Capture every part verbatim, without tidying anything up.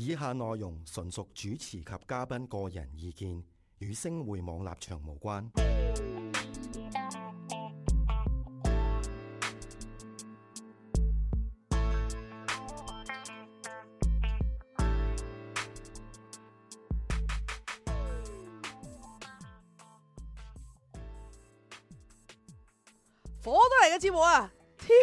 以下內容純屬主持及嘉賓個人意見，與星匯網立場無關。火都嚟嘅節目啊 ！T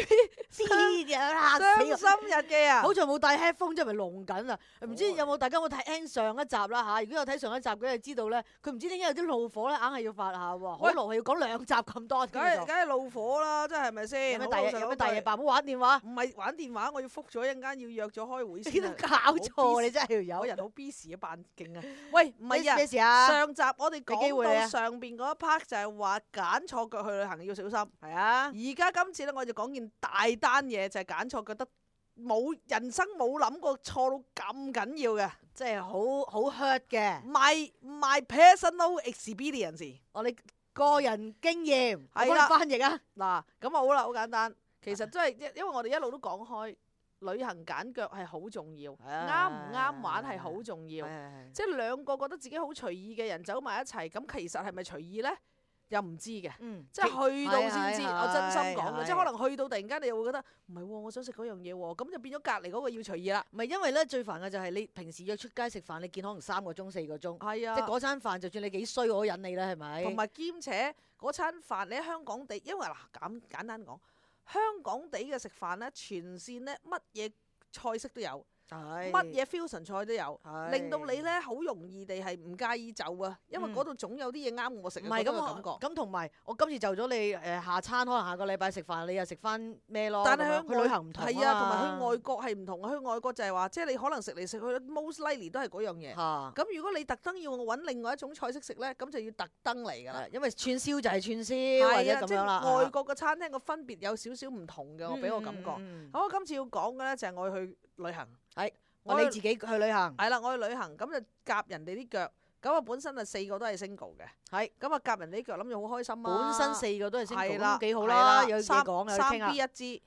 V 知啦，傷心日記啊！好在冇戴 headphone，即係咪聾緊啊？唔知有冇大家有冇睇 N 上一集啦嚇？如果有睇上一集嘅，就知道咧，佢唔知點解有啲怒火咧，硬係要發下喎。可能係要講兩集咁多，梗係梗係怒火啦，真係咪先？有咩大嘢？有咩大嘢辦？唔好玩電話。唔係玩電話，我要覆咗一陣間要約咗開會你先啊。都搞錯，你真係要有有人好 busy 啊，扮勁啊！喂，唔係啊，咩事啊？上集我哋講到俾機會你啊上邊嗰一 part 就係話揀錯腳去旅行要小心。係啊，而家今次咧，我就講件大單嘢，就係揀錯，覺得冇人生冇諗過錯到咁緊要嘅，即係好好 hurt 嘅。 my my personal experience。我哋個人經驗，我幫你係啦翻譯啊。嗱，咁啊好啦，好簡單。其實真係因因為我哋一路都講開，旅行揀腳係好重要，啱唔啱玩係好重要。即係兩個覺得自己好隨意嘅人走埋一齊，咁其實係咪隨意呢？又唔知嘅，嗯，即係去到先知。係係我真心講嘅，係係即係可能去到突然間你又會覺得唔係喎，我想食嗰樣嘢喎，咁就變咗隔離嗰個要隨意啦。唔係因為咧最煩嘅就係你平時約出街食飯，你見可能三個鐘四個鐘，係啊，即係嗰餐飯就算你幾衰我都忍你啦，係咪？同埋兼且嗰餐飯你喺香港地，因為嗱咁簡單講，香港地嘅食飯咧，全線咧乜嘢菜式都有。乜乜嘢 fusion 菜都有，係令到你咧好容易地係唔介意就啊，因為嗰度總有啲嘢啱我食嘅唔係咁嗰個感覺。我咁同埋我今次就咗你誒下餐，可能下個禮拜食飯，你又食翻咩咯？但係咁樣去旅行唔同係啊，同埋嘛去外國係唔同啊。去外國就係話，即係你可能食嚟食去，most likely 都係嗰樣嘢。嚇咁如果你特登要我揾另外一種菜式食咧，咁就要特登嚟㗎啦係。因為串燒就係串燒或者係啊，即咁樣啦。係外國嘅餐廳個分別有少少唔同嘅，我俾我感覺。嗯咁我今次要講嘅咧就係我去旅行。係我我你自己去旅行係啦，我去旅行咁就夾人哋啲腳，咁我本身啊四個都係 single 嘅，係咁啊夾人哋啲腳諗住好開心啊！本身四個都係星係啦，咁幾好係啦，有嘢三講有三傾 B 啊！一支，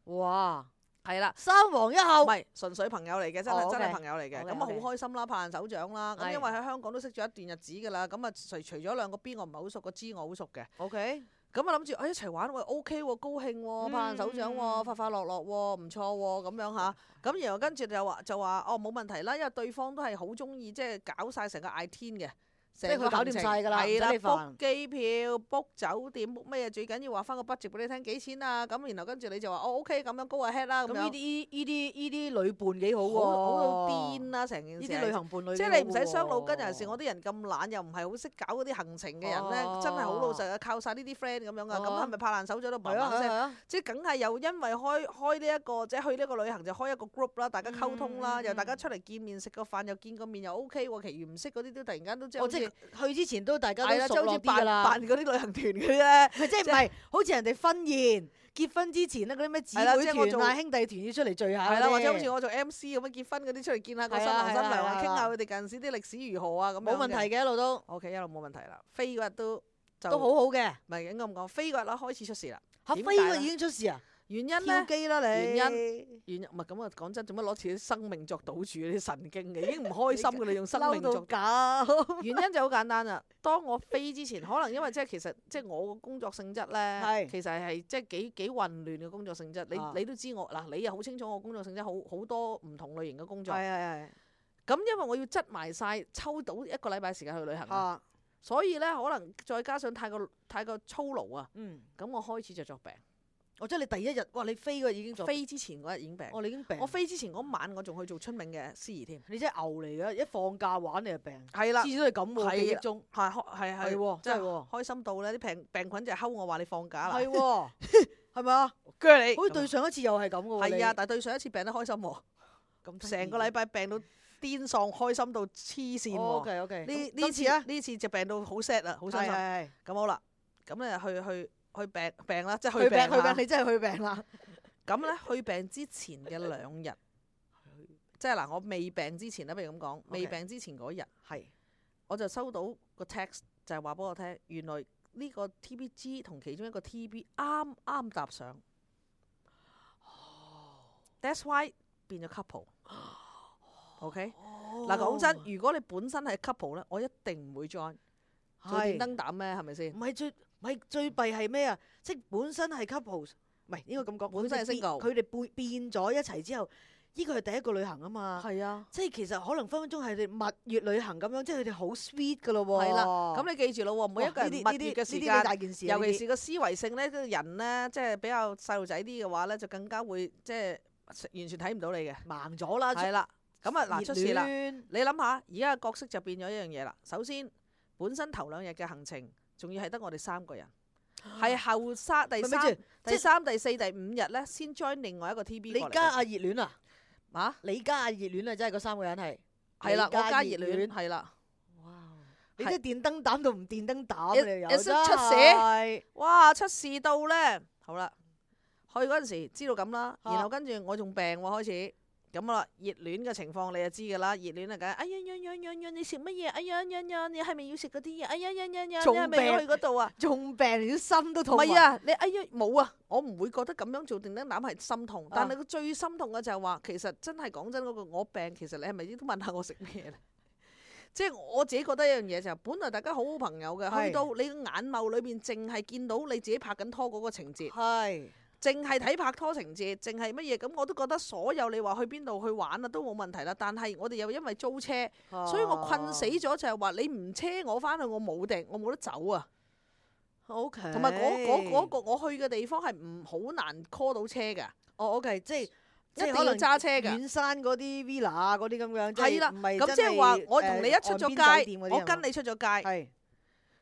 哇，係啦，三王一後唔，係純粹朋友嚟嘅，真哦係真係，OK，朋友嚟嘅， OK，咁啊 OK 好開心啦，拍爛手掌啦，咁係因為喺香港都識咗一段日子㗎啦，咁啊除除咗兩個 B 我唔係好熟，個 G 我好熟嘅。 OK，咁啊諗住，哎一齊玩，喂 OK 喎，高興喎，拍爛手掌喎，嗯快快樂樂喎，唔錯喎，咁樣吓。咁然後跟住就話就話，哦冇問題啦，因為對方都係好中意即係搞晒成個 I T 嘅，即係佢搞掂晒㗎啦係啦唔使你煩，book 機票、book 酒店、book 咩嘢，最緊要話翻個 budget 俾你聽幾錢啊。咁然後跟住你就話，哦 OK 咁樣 go ahead 啦，咁樣咁呢啲呢啲呢啲旅伴幾好喎，好好到癲啦成件事。呢啲旅行伴侶即係你唔使傷腦筋，有陣時我啲啲人咁懶，又唔係好識搞嗰啲行程嘅人咧，哦真係好老實啊，靠晒呢啲 friend 咁樣噶。咁哦係咪拍爛手掌都係砰砰聲？啊係啊，即係梗係又因為開開呢一個即係去呢個旅行就開一個 group 啦，大家溝通啦，嗯又大家出嚟見面食個飯又見個面又 OK 喎，其餘唔識嗰啲都突然間都即係我即好似係去之前都大家係啦，即係都熟好似辦絡啲㗎啦。辦嗰啲旅行團嗰啲咧。佢即係唔係好似人哋婚宴結婚之前咧嗰啲咩姊係啦妹即係我做團啊兄弟團要出嚟聚下嗰啲，係啦，或者好似我做 M C 咁樣結婚嗰啲出嚟見下個新郎新娘啊，係啦係啦傾下佢哋近時啲歷史如何啊咁樣嘅。冇問題嘅一路都 OK，一路冇問題啦。飛嗰日都就都好好嘅。唔係應該咁講，飛嗰日啦開始出事啦。嚇點解咧飛個已經出事啊！跳原因咧？機啦你，原因原因唔係咁啊！講真，做乜攞自己生命作賭注？啲神經嘅已經唔開心嘅，你用生命嬲作到。搞。原因就好簡單啦。當我飛之前，可能因為即係其實即係我個工作性質咧，係其實係即係幾幾混亂嘅工作性質。你啊你都知我嗱，你又好清楚我工作性質，好好多唔同類型嘅工作。係係係。咁因為我要執埋晒，抽到一個禮拜時間去旅行啊，啊，所以咧可能再加上太過太過操勞啊，嗯，咁我開始就作病。我即係你第一日，哇！你飛嗰日已經做，飛之前嗰日已經病。哦，你已經病。我飛之前嗰晚，我仲去做春茗嘅司儀添。你真係牛嚟嘅，一放假玩你就病，係啦次，次都係咁喎，係記憶中係係係係喎，真係喎，開心到咧，啲病病菌就睺我話你放假啦，係喎，係咪啊？鋸你。好似對上一次又係咁嘅喎，係啊，你但係對上一次病得開心喎，咁成個禮拜病到癲喪，開心到黐線喎。 O K O K，呢呢次呢次啊，呢次就病到好 sad 啦，好傷心。係係咁好啦，咁咧去去去病病啦，即係係，去病去病啦病，你真係去病啦，咁咧去病之前嘅兩日，即係嗱，我未病之前咧，不如咁講，未病之前嗰日，係我就收到個 text 就係話俾我聽，原來呢個 T B G 同其中一個 T B 啱啱搭上。That's why 變咗 couple。OK，嗱講真，如果你本身係 couple 咧，我一定唔會 join 做電燈膽咩？係咪先？唔係最唔係最弊係咩啊？即係本身係 couples，唔係應該咁講，本身係 single 佢哋變變咗一齊之後，呢個係第一個旅行啊嘛。係啊，即係其實可能分分鐘係你蜜月旅行咁樣，即係佢哋好 sweet 噶咯喎。係啦，咁你記住咯喎，每一個人蜜月嘅時呢啲間，大件事，尤其是個思維性咧，個人咧，即係比較細路仔啲嘅話咧，就更加會即係完全睇唔到你嘅，盲咗啦。係啦，咁啊嗱出事啦。熱戀你諗下，而家嘅角色就變咗一樣嘢啦。首先，本身頭兩日嘅行程，仲要係得我哋三個人，係後三第三、咪咪住第三、第四、第五日咧，先 join 另外一個 T B 過嚟。你加阿熱戀啊？啊？你加阿熱戀啊？真係嗰三個人係係啦，你我加熱戀係啦。哇！你真係電燈膽到唔電燈膽一你有一出真事係哇！出事到咧，好啦，去嗰陣時知道咁啦，啊然後跟住我仲病喎開始。咁啦，熱戀嘅情況你就知㗎啦，熱戀啊梗係，哎呀呀呀呀呀，你食乜嘢？哎呀呀呀，你係咪要食嗰啲嘢？哎呀呀呀呀，你仲係咪要去嗰度啊？仲病，連啲心都痛。唔係啊，你哎呀冇啊，我唔會覺得咁樣做電燈膽係心痛，但係個最心痛嘅就係話，其實真係講真嗰個我病，其實你係咪都問下我食咩咧？即係我自己覺得一樣嘢就係，本來大家好好朋友嘅，去到你個眼眸裏邊淨係見到你自己拍緊拖嗰個情節。係。淨係睇拍拖情節，淨係乜嘢咁，我都覺得所有你話去邊度去玩啊都冇問題啦。但係我哋又因為租車，啊所以我困死咗就係話你唔車我翻去，我冇定，我冇得走啊。 OK。同埋嗰嗰嗰個我去嘅地方係唔好難 call 到車㗎，哦 OK，即係即一定要係可能揸車㗎。遠山嗰啲 villa 啊嗰啲咁樣，即係係啦，唔係咁即係話我同你一出咗街，我跟你你出咗街，係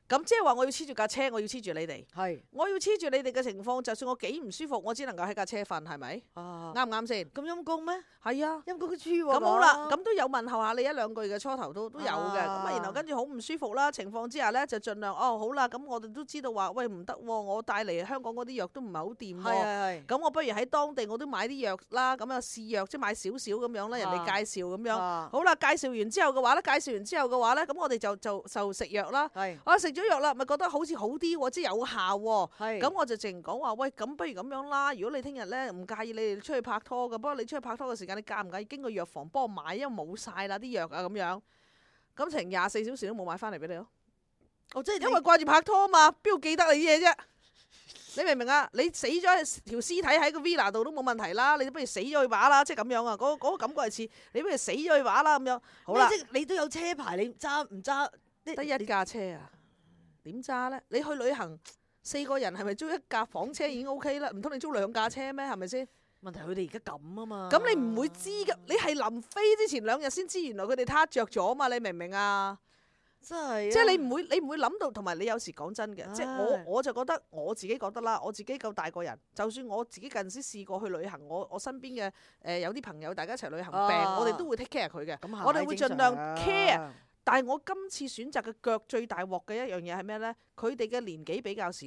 咁即係話我要黐住架車，我要黐住你哋，係我要黐住你哋嘅情況，就算我幾唔舒服，我只能夠喺架車瞓，係咪？啊啱唔啱先？咁陰公咩？係啊。陰公嘅豬喎。咁好啦，咁都有問候下你一兩句嘅，初頭都都有嘅，咁啊啊然後跟住好唔舒服啦，情況之下咧就盡量哦好啦，咁我哋都知道話喂唔得喎，我帶嚟香港嗰啲藥都唔係好掂係喎，係係。咁我不如喺當地我都買啲藥啦，咁啊試藥即係買少少咁樣啦，人哋介紹咁樣，啊好啦，介紹完之後嘅話咧，介紹完之後嘅話咧，咁我哋就就就食藥啦，係我食咗藥啦，咪覺得好似好啲喎，即係有效喎。係。咁我就淨講話，喂，咁不如咁樣啦。如果你聽日咧唔介意你哋出去拍拖嘅，不過你出去拍拖嘅時間，你介唔介意經過藥房幫我買？因為冇晒啦啲藥啊咁樣。咁成廿四小時都冇買翻嚟俾你咯。哦，即係因為掛住拍拖啊嘛，邊度記得你啲嘢啫？你明唔明啊？你死咗條屍體喺個 villa 度都冇問題啦，你不如死咗去把啦，即係咁樣啊！嗰、嗰個感覺係似你不如死咗去把啦咁樣。好啦，即係你都有車牌，你揸唔揸？得一架車啊，點揸咧？你去旅行四個人係咪租一架房車已經 OK 啦？唔通你租兩架車咩？係咪先？問題佢哋而家咁啊嘛。咁你唔會知㗎，你係臨飛之前兩日先知，原來佢哋撻着咗嘛？你明唔明啊？真係。即係你唔會，你唔會諗到，同埋你有時講真嘅，唉即係我我就覺得我自己覺得啦，我自己夠大個人，就算我自己近時試過去旅行，我我身邊嘅誒、呃、有啲朋友大家一齊旅行病，啊我哋都會 take care 佢嘅，咁係我哋會盡量正常 care。但係我今次選擇嘅腳最大鑊嘅一樣嘢係咩咧？佢哋嘅年紀比較少。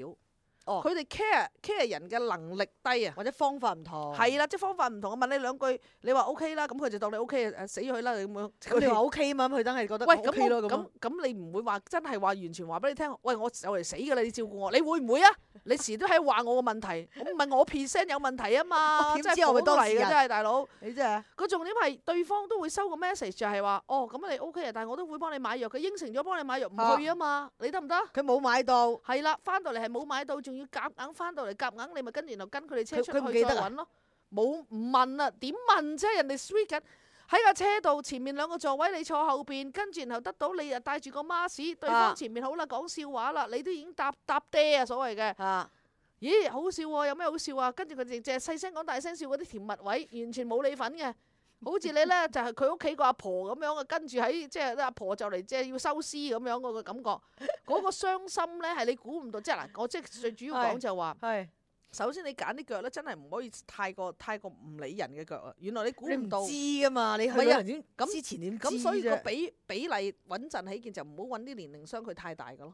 哦佢哋 care care 人嘅能力低啊，或者方法唔同。係啦，即係方法唔同。我問你兩句，你話 O K 啦，咁佢就當你 O K 誒死咗佢啦，你咁樣。咁你話 O K 嘛？咁佢等係覺得喂 O K 咯咁咁。咁咁你唔會話真係話完全話俾你聽，喂我就嚟死㗎啦，你照顧我，你會唔會啊？你時都喺話我個問題，我唔係我 present 有問題啊嘛，我點真係知我咪當嚟嘅事人真係大佬。你真係。個重點係對方都會收個 message 就係話，哦咁你 O K 啊，但係我都會幫你買藥，佢應承咗幫你買藥，唔去啊嘛，你得唔得？佢冇買到。係啦，翻到嚟係冇買到，仲要夾硬翻到嚟夾硬，你咪跟然後跟佢哋車出佢佢唔記得啊去再揾咯。冇唔問啊，點問啫？人哋 sweet 緊喺架車度，前面兩個座位你坐後邊，跟住然後得到你又帶住個 mask，對方前面好啦講笑話啦，你都已經搭搭爹啊所謂嘅。啊。咦，好笑喎！有咩好笑啊？跟住佢哋淨係細聲講大聲笑嗰啲甜蜜位，完全冇你份嘅。好似你咧就係佢屋企個阿婆咁樣啊，跟住喺即係阿婆就嚟即係要收屍咁樣嗰個感覺，嗰個傷心咧係你估唔到。即係嗱，我即係最主要講就話，係。首先你揀啲腳咧真係唔可以太過太過唔理人嘅腳啊！原來你估你唔唔到。知噶嘛？你去唔係啊旅行點咁之前點知咁所以個啫？比比例穩陣起見就唔好揾啲年齡相距太大嘅咯，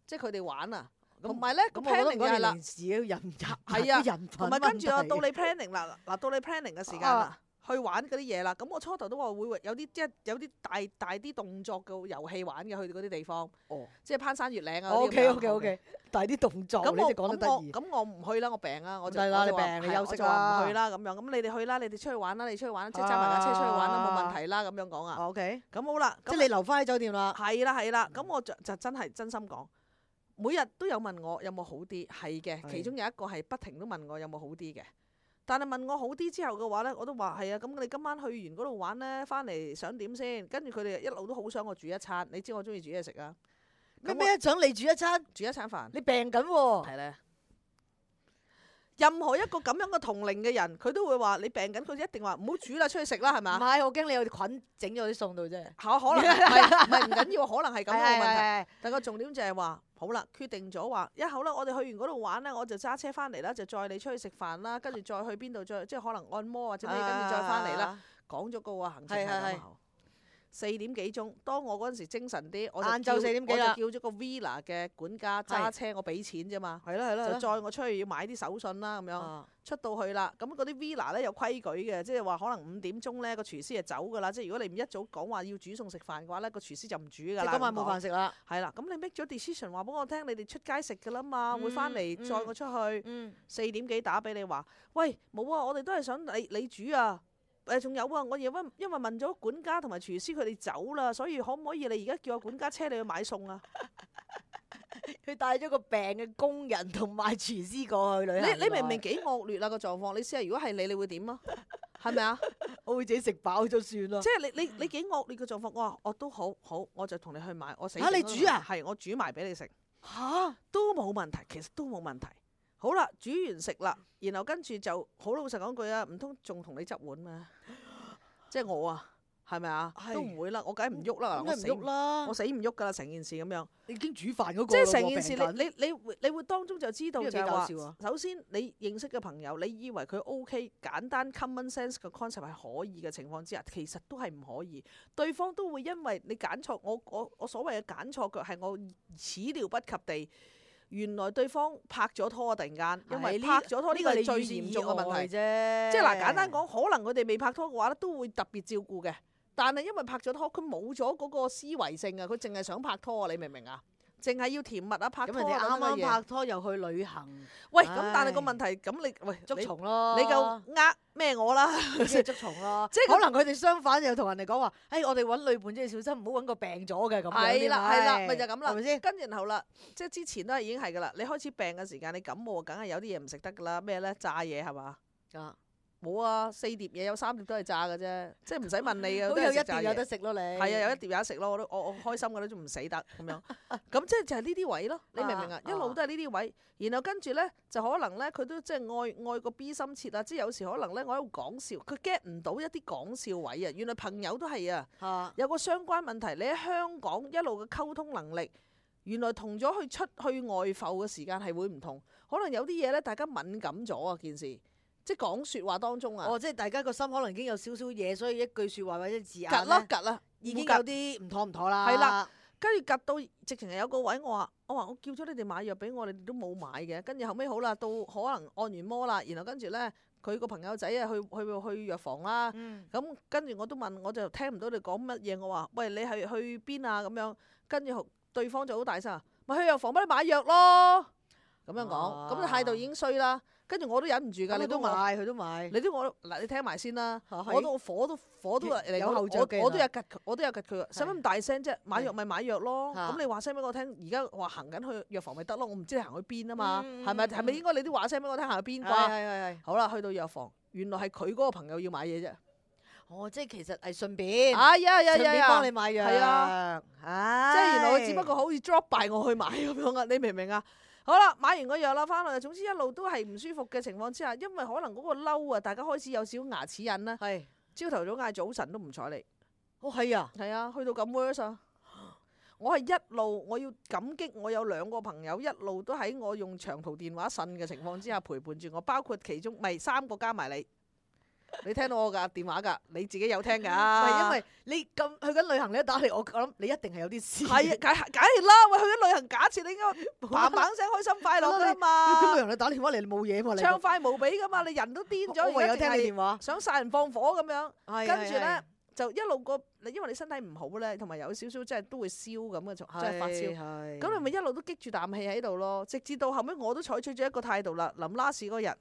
即係佢哋玩啊。同埋咧個咁我覺得 planning 就係啦。事嘅人人係啊人同埋跟住啊，到你 planning 啦，嗱到你 planning 嘅時間啦，去玩嗰啲嘢啦。咁我初頭都話會有啲即係有啲大大啲動作嘅遊戲玩嘅，去到嗰啲地方，哦，即係攀山越嶺啊。O K O K O K，大啲動作，咁我你哋講得得意。咁我唔去啦，我病啊，我就係啦，你我就話病你休息係我就話唔啦去啦咁樣。咁你哋去啦，你哋出去玩啦，你出去玩，即係揸埋架車出去玩啦，冇問題啦咁樣講啊。 O K，咁好啦，即係你留翻喺酒店啦。係啦係啦，咁我就就真係真心講，每日都有問我有冇好啲，係嘅，係其中有一個係不停都問我有冇好啲嘅。但係問我好啲之後嘅話咧，我都話係啊，咁你今晚去完嗰度玩咧，翻嚟想點先？跟住佢哋一路都好想我煮一餐，你知我中意煮嘢食啊。咩咩想你煮一餐？煮一餐飯，你病緊喎。係咧。任何一個咁樣嘅同齡嘅人，佢都會話你病緊，佢一定話唔好煮啦，出去食啦，係咪啊？唔係，我驚你有菌整咗啲餸到啫。可可能係唔係唔緊要，可能係咁嘅問題。係但個重點就係話，好啦，決定咗話一好啦，我哋去完嗰度玩咧，我就揸車翻嚟啦，就載你出去食飯啦，跟住再去邊度再即係可能按摩或者咩，跟住再翻嚟啦。講咗個行程係咁後，四點幾鐘，當我嗰陣時精神啲，我就晏晝四點幾啦我就叫咗個 Villa 嘅管家揸車，我俾錢啫嘛，係啦係啦，就載我出去要買啲手信啦咁樣。出到去啦，咁嗰啲 Villa 咧有規矩嘅，即係話可能五點鐘咧個廚師就走㗎啦。即係如果你唔一早講話要煮餸食飯嘅話咧，個廚師就唔煮㗎啦。即係今晚冇飯食啦。係啦，咁你 make 咗 decision 話俾我聽，你哋出街食㗎啦嘛，會翻嚟載我出去。四點幾打俾你話，喂冇啊，我哋都係想你你煮啊。誒仲有啊，我因為因為問咗管家同埋廚師佢哋走啦，所以可唔可以你而家叫個管家車你去買餸啊？佢帶咗個病嘅工人同埋廚師過去旅行。你你明唔明幾惡劣啊個狀況？你試下如果係你，你會點啊？係咪啊？我會自己食飽咗算啦。即係你你你幾惡劣嘅狀況？我話我都好好，我就同你去買。我死嚇你煮啊？係我煮埋俾你食。嚇都冇問題，其實都冇問題。好啦，煮完食啦，然後跟住就好老實講句啊，唔通仲同你執碗咩？即係我啊，係咪啊？都唔會啦，我梗係唔喐啦，我死唔喐啦，我死唔喐噶啦，成件事咁樣。你已經煮飯嗰個，即係成件事，你你你會你會當中就知道就係話，呢個幾搞笑啊首先你認識嘅朋友，你以為佢 OK，簡單 common sense 嘅 concept 係可以嘅情況之下，其實都係唔可以。對方都會因為你揀錯，我我我所謂嘅揀錯腳係我始料不及地。原來對方拍咗拖啊！突然間，因為拍咗拖呢個係最嚴重嘅問題啫。即係嗱，簡單講，可能佢哋未拍拖嘅話咧，都會特別照顧嘅。但係因為拍咗拖，佢冇咗嗰個思維性啊，佢淨係想拍拖啊！你明唔明啊？淨係要甜蜜啊，拍拖咁人哋啱啱拍拖又去旅行。喂，咁但係個問題，咁你喂捉蟲咯，你夠呃咩我啦？即係捉蟲咯。即係可能佢哋相反又同人哋講話，誒我哋揾女伴即係小心，唔好揾個病咗嘅咁樣。係啦係啦，咪就咁啦，係咪先？跟然後啦，即係之前都係已經係噶啦。你開始病嘅時間，你感冒梗係有啲嘢唔食得噶啦。咩咧？炸嘢係嘛？啊！冇啊，四碟嘢有三碟都係炸嘅啫，即係唔使問你嘅。都有一碟有得食咯，你係啊，有一碟有得食咯，我都我我開心嘅都仲唔死得咁樣。咁即係就係呢啲位咯，你明唔明啊？一路都係呢啲位，然後跟住咧就可能咧佢都即係愛愛個 B 心切啊，即係有時可能咧我喺度講笑，佢 get 唔到一啲講笑位啊。原來朋友都係啊，有個相關問題，你喺香港一路嘅溝通能力，原來同咗去出去外埠嘅時間係會唔同，可能有啲嘢咧大家敏感咗啊件事。即係講説話當中啊！哦，即係大家個心可能已經有少少嘢，所以一句説話或者字眼夾啦夾啦，已經有啲唔妥唔妥啦。係啦，跟住夾到直情係有個位，我話我話我叫咗你哋買藥俾我，你哋都冇買嘅。跟住後尾好啦，到可能按完摩啦，然後跟住咧佢個朋友仔啊去去去藥房啦。咁跟住我都問，我就聽唔到你講乜嘢。我話喂，你係去邊啊？咁樣跟住對方就好大聲，咪去藥房幫你買藥咯。咁樣講，咁態度已經衰啦。跟住我都忍唔住㗎，你都買，佢都買。你都我嗱，你聽埋先啦。我都火都火都嚟，有後著嘅。我都有吉，我都有吉佢。使乜咁大聲啫？買藥咪買藥咯。咁你話聲俾我聽，而家話行緊去藥房咪得咯。我唔知你行去邊啊嘛。係咪係咪應該你都話聲俾我聽行去邊啩？係係係。好啦，去到藥房，原來係佢嗰個朋友要買嘢啫。哦，即係其實係順便。哎呀呀呀！順便幫你買藥。係啊。即係原來佢只不過好似 drop by 我去買咁樣啊！你明唔明啊？好啦，買完個藥啦，翻嚟，總之一路都係唔舒服嘅情況之下，因為可能嗰個嬲啊，大家開始有少少牙齒印啦。係。朝頭早嗌早晨都唔睬你。哦，係啊。係啊，去到咁 worse 啊！我係一路我要感激我有兩個朋友，一路都喺我用長途電話呻嘅情況之下陪伴住我，包括其中咪三個加埋你。你聽到我㗎電話㗎，你自己有聽㗎。唔係因為你咁去緊旅行，你一打嚟，我諗你一定係有啲事。係啊，梗係梗係啦！喂，去緊旅行，假設你應該砰砰聲開心快樂㗎啦嘛。咁旅行你打電話嚟，你冇嘢嘛？你暢快無比㗎嘛，你人都癲咗，我唯有聽你而家淨係電話，想殺人放火咁樣。係跟住咧係就一路個，因為你身體唔好咧，同埋有少少即係都會燒咁嘅，即係發燒。係咁你咪一路都激住啖氣喺度咯，直至到後尾我都採取咗一個態度啦。臨拉屎嗰日，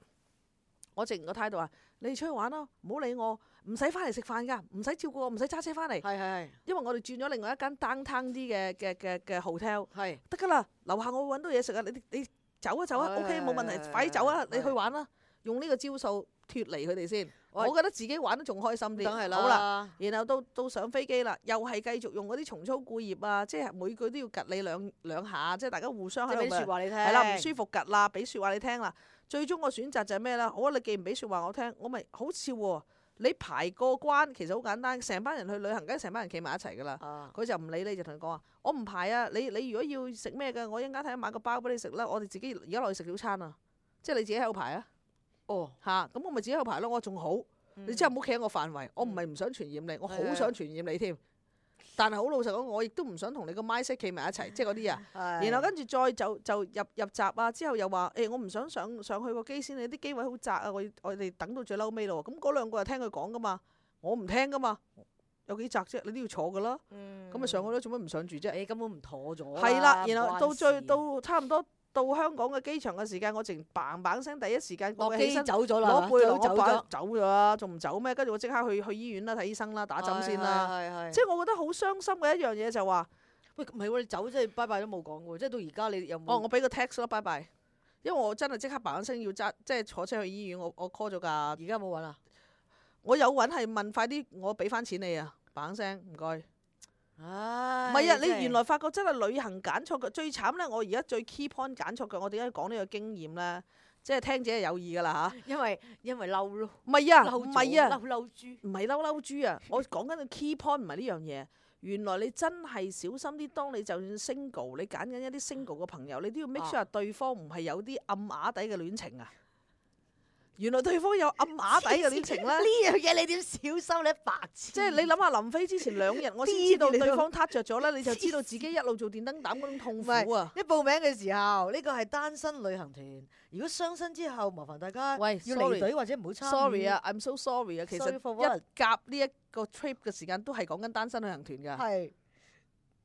我直個態度話：你哋出去玩啦，唔好理我，唔使翻嚟食飯㗎，唔使照顧我，唔使揸車翻嚟。係係因為我哋轉咗另外一間 downtown 啲嘅嘅嘅嘅 hotel，係得㗎啦，樓下我會揾到嘢食啊！你你走啊走啊係，OK 冇問題，係快啲走啊！係你去玩啦，用呢個招數脱離佢哋先。喂我覺得自己玩得仲開心啲。梗係啦。好啦，然後到到上飛機啦，又係繼續用嗰啲重操故業啊，即係每句都要吉你兩兩下，即係大家互相即係俾喺度咪説話你聽。係啦，唔舒服吉啦，俾説話你聽啦。最終個選擇就係咩咧？好啊，你既然俾説話我聽，我咪好笑喎。你排過關其實好簡單，成班人去旅行，梗係成班人企埋一齊噶啦。啊佢就唔理你，就同佢講話：我唔排啊！你你如果要食咩嘅，我一陣間睇下買個包俾你食啦。我哋自己而家落去食早餐啊，即係你自己喺度排啊。哦，嚇，咁我咪自己喺度排咯。我仲好，你真係唔好企喺我範圍。我唔係唔想傳染你，我好想傳染你添。但係好老實講，我亦都唔想同你個 mindset 企埋一齊，即係嗰啲啊。然後跟住再就就入入閘啊，之後又話誒，我唔想上上去個機先，你啲機位好窄啊，我我哋等到最嬲尾咯。咁嗰兩個就聽佢講噶嘛，我唔聽噶嘛，有幾窄啫？你都要坐噶啦。咁咪上去咯，做乜唔上住啫？你根本唔妥咗。係啦，然後到最關事到差唔多到香港嘅機場嘅時間，我淨砰砰聲第一時間落機我起身走咗啦，攞背囊，走咗我擺走咗啦，仲唔走咩？跟住我即刻去去醫院啦，睇醫生啦，打針先啦。係係係即係我覺得好傷心嘅一樣嘢就話，喂，唔係喎，你走即係拜拜都冇講喎，即係到而家你有冇？哦，我俾個 text 啦，拜拜。因為我真係即刻砰聲要揸，即係坐車去醫院，我我 call 咗架。而家冇揾啦。我有揾係問快啲，我俾翻錢你啊！砰聲唔該。唉，唔係啊，你真係原來發覺真係旅行揀錯嘅最慘咧。我而家最 key point 揀錯嘅，我點解講呢個經驗咧？即係聽者係有意㗎啦嚇。因為因為嬲咯，唔係啊，嬲唔係啊，嬲嬲豬。唔係嬲嬲豬啊！我講緊嘅 key point 唔係呢樣嘢。原來你真係小心啲，當你就算 single，你揀緊一啲 single 嘅朋友，你都要 make sure 對方唔係有啲暗啞底嘅戀情啊！原來對方有暗啞底嘅戀情咧，呢樣嘢你點小心你白痴？即係你諗下臨飛之前兩日，我先知道癲你都對方撻着咗咧，你就知道自己一路做電燈膽嗰種痛苦啊！一報名嘅時候，呢個係單身旅行團。如果雙身之後，麻煩大家喂要 sorry 離隊或者唔好參與。 sorry 啊，I'm so sorry 啊，其實 Sorry for what？一夾呢一個 trip 嘅時間都係講緊單身旅行團㗎。係，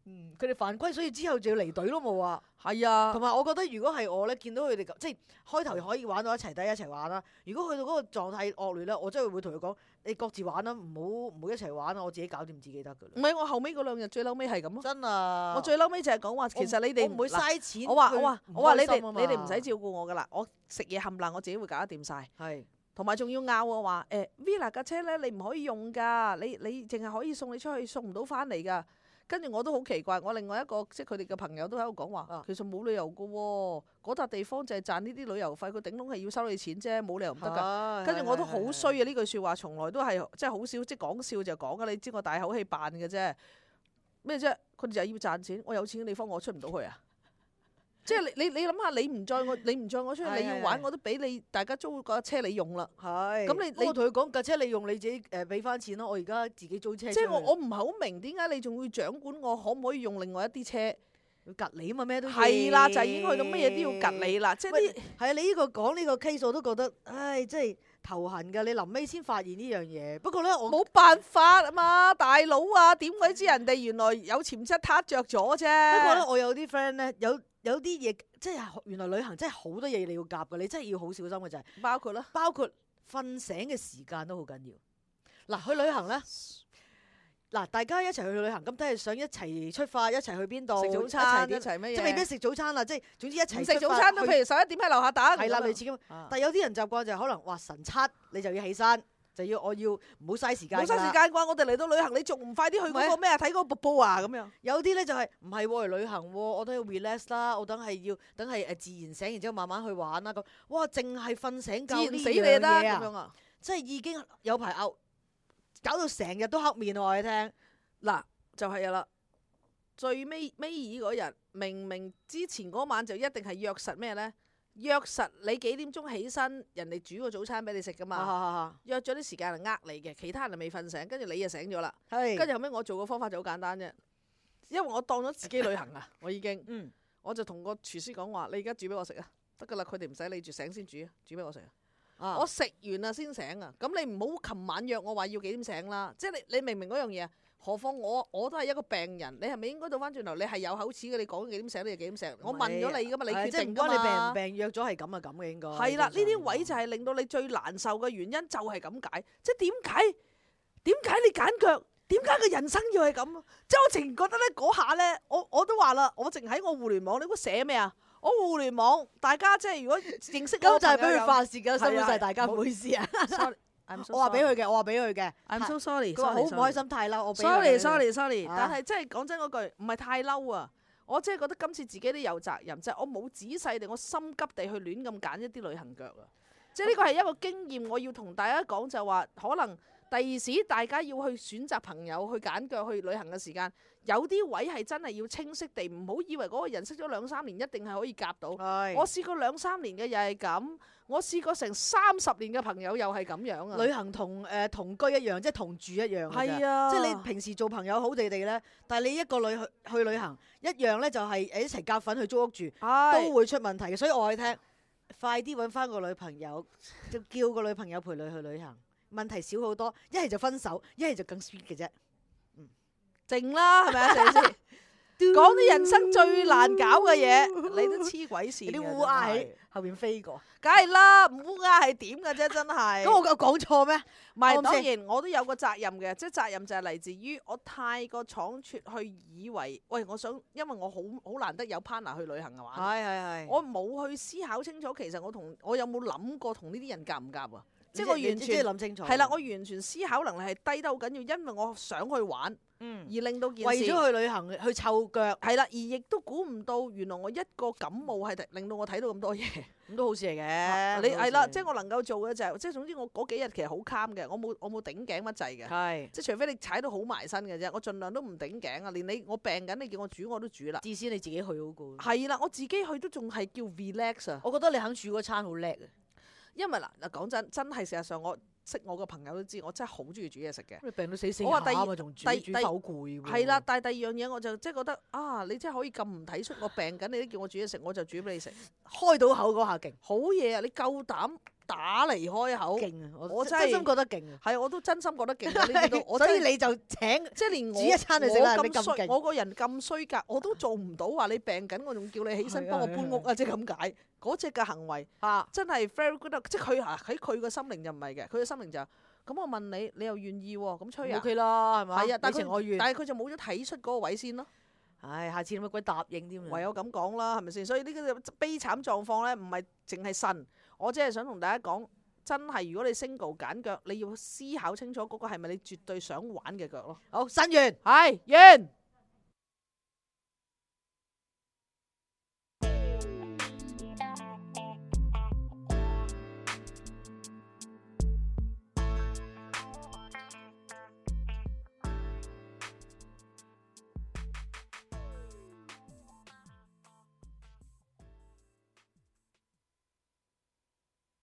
嗯，佢哋犯規，所以之後就要離隊咯，冇話。係啊同，埋我覺得，如果係我咧，見到佢哋咁，即係開頭可以玩到一齊，第一齊玩啦。如果去到嗰個狀態惡劣咧，我真係會同佢講：你各自玩啦，唔好唔好一齊玩啊！我自己搞掂自己得㗎啦。唔係我後尾嗰兩日最嬲尾係咁咯。真啊！我最嬲尾就係講話，其實你哋我唔會嘥錢去我話我話我話你哋唔開心啊嘛你哋唔使照顧我噶啦，我食嘢冚唪唥我自己會搞得掂晒。係同埋仲要拗我話誒 Villa 架車咧，你唔可以用㗎，你你淨係可以送你出去，送唔到翻嚟㗎。跟住我都好奇怪，我另外一個即係佢哋嘅朋友都喺度講話，啊其實冇理由㗎喎，嗰笪地方就係賺呢啲旅遊費，佢頂籠係要收你錢啫，冇理由唔得㗎。㗎跟住我都好衰啊！呢句説話從來都係即係好少，即係講笑就講㗎。你知我大口氣扮嘅啫，咩啫？佢哋就係要賺錢，我有錢嘅地方我出唔到去啊！即係你你你諗下，你唔載我，你唔載我出去，你要玩我都俾你，大家租架車你用啦。係咁你你我同佢講架車你用你自己誒俾翻錢咯，我而家自己租車出去。即係我我唔係好明點解你仲會掌管我可唔可以用另外一啲車？要隔你啊嘛，咩都要係啦，就係已經去到乜嘢都要及你啦。即係喂啲係啊，你呢個講呢個 case 我都覺得，唉，真係頭痕㗎。你臨尾先發現呢樣嘢，不過咧我冇辦法啊嘛，大佬啊，點鬼知人哋原來有潛質撻着咗啫。不過咧，我有啲 friend 咧，有有啲嘢即係原來旅行真係好多嘢你要夾㗎，你真係要好小心嘅就係、包括啦，包括瞓醒嘅時間都好緊要。嗱，去旅行咧，嗱大家一齊去旅行，咁都係想一齊出發，一齊去邊度食早餐一一齊齊乜嘢？即係未必食早餐啦，即係總之一齊唔食出發早餐都，去譬如十一點喺樓下等。係啦，類似咁。啊但係有啲人習慣就係可能話晨七你就要起身，就要我要唔好嘥時間㗎啦。冇嘥時間啩！我哋嚟到旅行，你仲唔快啲去嗰個咩啊？睇嗰個瀑布啊咁樣。有啲咧就係唔係喎嚟旅行喎，我都要 relax 啦，我等係要等係誒自然醒，然之後慢慢去玩啦咁。哇！淨係瞓醒覺自然呢死你就得樣嘢啊，咁樣啊！即係已經有排拗，搞到成日都黑面喎！我哋聽嗱，就係啦。最尾尾二嗰日，明明之前嗰晚就一定係約實咩咧？約實你幾點鐘起身，人哋煮個早餐俾你食噶嘛。啊約咗啲時間嚟呃你嘅，其他人就未瞓醒，跟住你就醒咗啦。係跟住後尾我做個方法就好簡單啫，因為我當咗自己旅行啊，我已經，嗯我就同個廚師講話：你而家煮俾我食啊，得噶啦，佢哋唔使理住醒先煮，煮俾我食啊。啊我食完啊先醒啊，咁你唔好琴晚約我話要幾點醒啦，即係你你明唔明嗰樣嘢啊？何況我我都係一個病人，你係咪應該倒翻轉頭？你係有口齒嘅，你講幾點醒你就幾點醒。我問咗你噶嘛，你決定噶即係唔關你病唔嘛。病約咗係咁啊咁嘅應該。係啦，呢啲位就係係令到你最難受嘅原因，就係咁解。即係點解點解你揀腳？點解個人生要係咁啊？即係我淨覺得咧嗰下咧，我我都話啦，我淨喺我互聯網，你估寫咩啊？我互聯網，大家即係如果認識我咁就係俾佢發發。泄嘅，辛苦晒大家，唔好意思啊。 Sorry, I'm so 我話俾 sorry. 佢嘅，我話俾佢嘅。 I'm so sorry。佢話好唔開心，太嬲。我俾佢 sorry sorry sorry，啊但係真係講真嗰句，唔係太嬲啊！我真係覺得今次自己都有責任，就係、我冇仔細地，我心急地去亂咁揀一啲旅行腳啊！即係呢個係一個經驗，我要同大家講就係話，可能第二時大家要去選擇朋友去揀腳去旅行嘅時間，有啲位係真係要清晰地，唔好以為嗰個人識咗兩三年一定係可以夾到。係我試過兩三年嘅又係咁，我試過成三十年嘅朋友又係咁樣啊！旅行同誒同居一樣，即係同住一樣㗎咋。係啊，即係你平時做朋友好地地咧，但係你一個旅去去旅行一樣咧，就係誒一齊夾份去租屋住，係都會出問題嘅。所以我話你聽，快啲揾翻個女朋友，就叫個女朋友陪你去旅行，問題少好多。一係就分手，一係就更 sweet 嘅啫。靜啦，係咪啊？鄭先講啲人生最難搞嘅嘢，你都黐鬼線嘅。有啲烏鴉喺後邊飛過，梗係啦，烏鴉係點嘅啫？真係。咁我有講錯咩？唔係，啱當然我都有個責任嘅，即係責任就係嚟自於我太過倉促去以為，喂，我想，因為我好好難得有 partner 去旅行嘅話，係係係。我冇去思考清楚，其實我同我有冇諗過同呢啲人夾唔夾啊？即係即係我完全即係諗清楚。係啦，我完全思考能力係低得好緊要，因為我想去玩，嗯而令到件事為咗去旅行去湊腳，係啦，而亦都估唔到，原來我一個感冒係令到我睇到咁多嘢。咁都好事嚟嘅。你係啦，即係我能夠做嘅就係、即係總之我嗰幾日其實好 calm 嘅，我冇我冇頂頸乜滯嘅，係即係除非你踩到好埋身嘅啫，我盡量都唔頂頸啊。連你我病緊，你叫我煮我都煮啦。至少你自己去好過。係啦，我自己去都仲係叫 relax 啊。我覺得你肯煮嗰餐好叻啊！因為嗱嗱講真，真係事實上我識我個朋友都知，我真係好中意煮嘢食嘅。你病到死死我話第二下啊嘛，仲煮第第煮得好攰喎。係啦，但係第二樣嘢我就即係覺得啊，你真係可以咁唔體恤我病緊，你都叫我煮嘢食，我就煮俾你食。開到口嗰下勁好嘢啊！你夠膽打嚟開口，勁啊！我我真係真心覺得勁啊！係我都真心覺得勁啊！呢啲都我真係所以你就請即係連我煮一餐你食啦我你咁勁咁衰，我個人咁衰格，我都做唔到話你病緊，我仲叫你起身係啊幫我搬屋啊！即係咁解嗰只嘅行為嚇真係 very good 啊。即係佢啊喺佢個心靈就唔係嘅，佢嘅心靈就咁我問你，你又願意喎？咁吹啊 OK 啦，係咪？係啊，但係佢你情我願。但係佢就冇咗體恤嗰個位先咯。唉，下次你乜鬼答應添啊？唯有咁講啦，係咪先？所以呢個悲慘狀況咧，唔係淨係神，我只係想同大家講，真係如果你 single 揀腳，你要思考清楚嗰個係咪你絕對想玩嘅腳咯。好，新完。係完。